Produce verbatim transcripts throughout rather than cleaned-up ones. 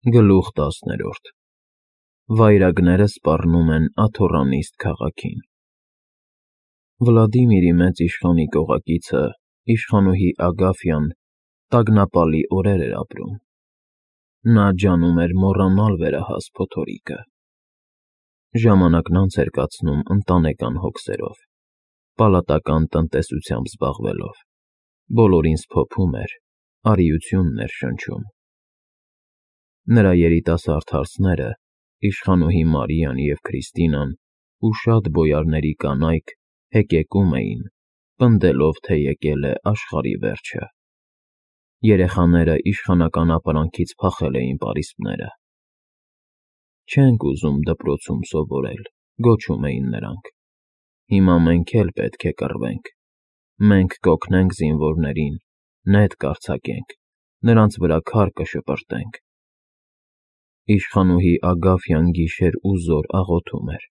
Գլուխ տասներորդ Վայրագները սպառնում են Աթոռանիստ քաղաքին։ Վլադիմիրի մեծ իշխանի կողակիցը, իշխանուհի Ագաֆյան, տագնապալի օրեր էր ապրում։ Նա ջանում էր մոռանալ վերահաս փոթորիկը։ Ժամանակն անց էր կացնում ընտանեկան հոգսերով, պալատական տնտեսությամբ զբաղվելով, բոլորին սփոփում էր, արիությունն էր շնչում։ Նրա երիտասարդ հարսները, իշխանուհի Մարիան և Քրիստինան ու շատ բոյարների կանայք հեկեկում էին, պնդելով, թե եկել է աշխարհի վերջը։ Երեխաները իշխանական ապարանքից փախել էին պարիսպները։ Չենք ուզում դպրոցում սովորել, գոչում էին նրանք։ Հիմա մենք էլ պետք է կռվենք։ Մենք կօգնենք զինվորներին, նետ կարձակենք, նրանց վրա քար կշպրտենք։ Իշխանուհի Ագաֆյան գիշեր ու զօր աղոթում էր։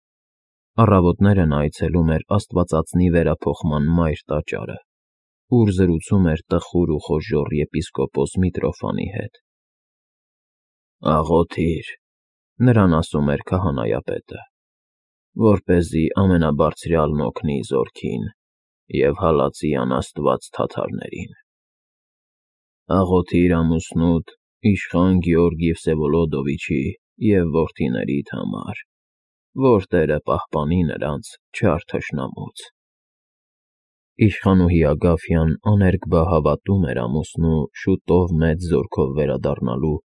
Առավոտները նա այցելում էր Աստվածածնի վերափոխման մայր տաճարը, ուր զրուցում էր տխուր ու խոժոռ եպիսկոպոս Միտրոֆանի հետ։ «Աղոթիր,» նրան ասում էր քահանայապետը, «որպեսզի ամենաբարձրյալն օգնի զորքին և հալածի անաստված թաթարներին։ Աղոթիր ամուսնուդ, իշխան Գեորգի Վսևոլոդովիչի և որդիներիդ համար, որ Տերը պահպանի նրանց չար թշնամուց»։ Իշխանուհի Ագաֆյան աներկբա հավատում էր ամուսնու շուտով մեծ զորքով վերադառնալու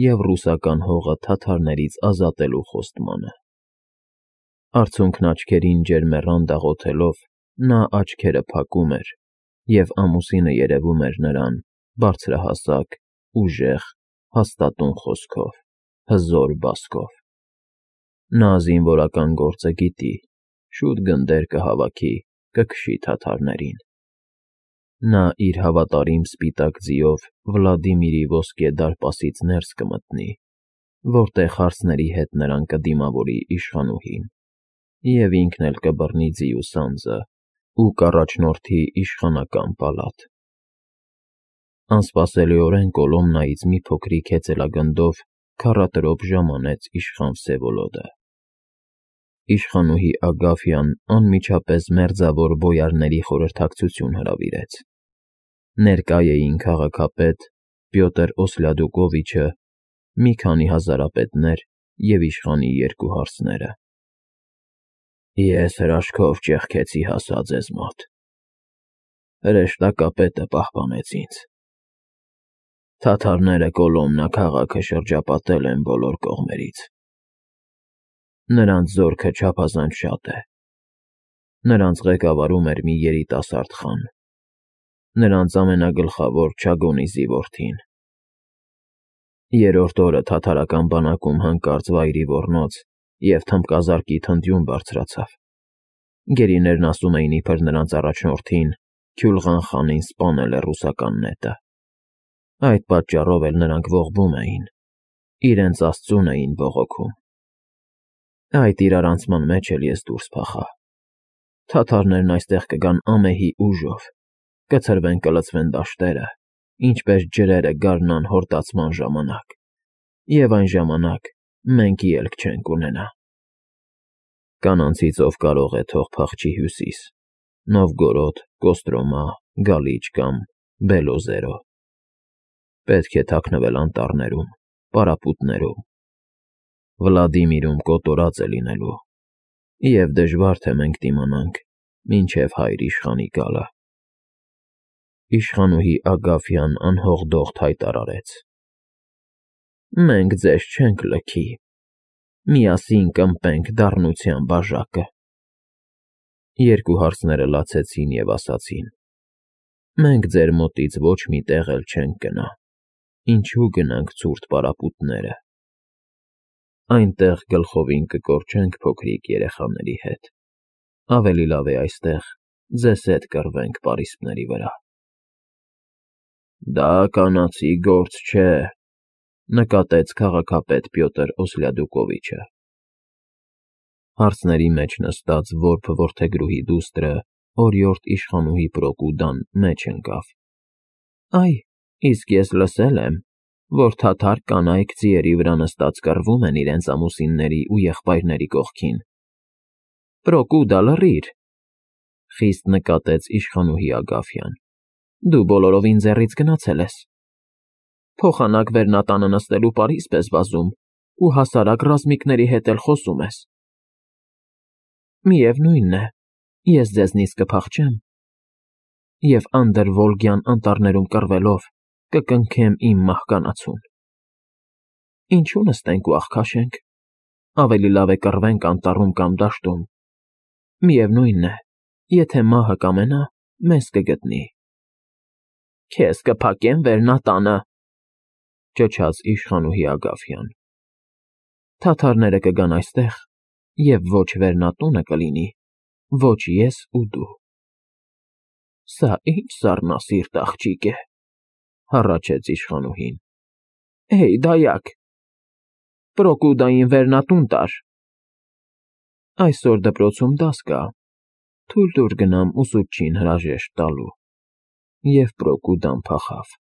և ռուսական հողը թաթարներից ազատելու խոստմանը։ Արցունքն աչքերին ջերմեռանդ աղոթելով, նա աչքերը փակում էր, և ամուսինը երևում էր նրան բարձրահասակ, ուժեղ, հաստատուն խոսքով, հզոր բասկով։ Նա զինվորական գործը գիտի, շուտ գնդեր կհավաքի, կքշի թաթարներին։ Նա իր հավատարիմ սպիտակ ձիով Վլադիմիրի ոսկե դարպասից ներս կմտնի, որտեղ հարսների հետ նրան կդիմավորի իշխանուհին, և ինքն էլ կբռնի ձիու սանձը ու կառաջնորդի իշխանական պալատ։ Անսպասելիորեն Կոլոմնայից մի փոքրիկ հեծելագնդով քառատրոփ ժամ անեց իշխան Վսևոլոդը։ Իշխանուհի Ագաֆյան անմիջապես մերձավոր բոյարների խորհրդակցություն հրավիրեց։ Ներկա էին քաղաքապետ Պյոտր Օսլյադուկովիչը, մի քանի հազարապետներ և իշխանի երկու հարսները։ «Ես հրաշքով ճեղքեցի հասա ձեզ մոտ։ Հրեշտակապետը պահպանեց ինձ։ Թաթարները Կոլոմնա քաղաքը շրջապատել են բոլոր կողմերից։ Նրանց զորքը չափազանց շատ է։ Նրանց ղեկավարում էր մի երիտասարդ խան, նրանց ամենագլխավոր Չագոնիզի որդին։ Երրորդ օրը թաթարական բանակում հանկարծ վայրի ոռնոց և թմբկազարկի թնդյուն բարձրացավ։ Գերիներն ասում էին, իբր նրանց առաջնորդին՝ Քյուլղան խանին սպանել է ռուսական նետը։ Այդ պատճառով էլ նրանք ողբում էին, իրենց աստծուն էին բողոքում։ Այդ իրարանցման մեջ էլ ես դուրս փախա։ Թաթարներն այստեղ կգան ամեհի ուժով, կցրվեն կլցվեն դաշտերը, ինչպես ջրերը գարնան հորդացման ժամանակ, և այն ժամանակ մենք ելք չենք ունենա։ Կանանցից ով կարող է, թող փախչի հյուսիս, Նովգորոդ, Կոստրոմա, Գալիչ կամ Բելոզերո։ Պետք է թաքնվել անտառներում, պարապուտներում։ Վլադիմիրում կոտորած է լինելու, և դժվար թե մենք դիմանանք, մինչև հայր իշխանի գալը։ Իշխանուհի Ագաֆյան անհողդողդ հայտարարեց. «Մենք ձեզ չենք լքի, միասին կըմպենք դառնության բաժակը»։ Երկու հարսները լացեցին և ասացին. «Մենք ձեր մոտից ոչ մի տեղ էլ չենք գնա, ինչու գնանք ցուրտ պարապուտները։ Այնտեղ գլխովին կկորչենք փոքրիկ երեխաների հետ, ավելի լավ է այստեղ ձեզ հետ կռվենք պարիսպների վրա»։ «Դա կանացի գործ չէ», նկատեց քաղաքապետ Պյոտր Օսլյադուկովիչը։ Հարսների մեջ նստած որբ որդեգրուհի դուստրը, օրիորդ իշխանուհի Պրոկուդան մեջ ընկավ. «Այ, իսկ ես լսել եմ, որ թաթար կանայք ձիերի վրա նստած կռվում են իրենց ամուսինների ու եղբայրների կողքին։ ֊ Պրոկուդա, լռիր,֊ խիստ նկատեց իշխանուհի Ագաֆյան,֊ դու բոլորովին ձեռից գնացել ես։ Փոխանակ վերնատանը նստելու պարիսպ ես վազում ու հասարակ ռազմիկների հետ էլ խոսում ես։ Միևնույն է, ես ձեզնից կփախչեմ և Անդրվոլգյան անտառներում կռվելով կկնքեմ իմ մահկանացուն։ Ինչու նստենք ու աղքաշենք, ավելի լավ է կռվենք անտառում կամ դաշտում, միևնույն է, եթե մահը կամենա, մեզ կգտնի։ ֊ Քեզ կփակեմ վերնատանը,֊ ճչաց իշխանուհի Ագաֆյան։ Թաթարները կգան այստեղ, և ոչ վերնատունը կլինի, ոչ ես ու դու։ ֊ Սա ի՞նչ սառնասիրտ աղջիկ է,֊ հառաչեց իշխանուհին։ ֊ Հեյ, դայակ, Պրոկուդային վերնատուն տար։ Այսօր դպրոցում դաս կա, թույլ տուր գնամ ուսուցչին հրաժեշտ տալու։ Եվ Պրոկուդան փախավ։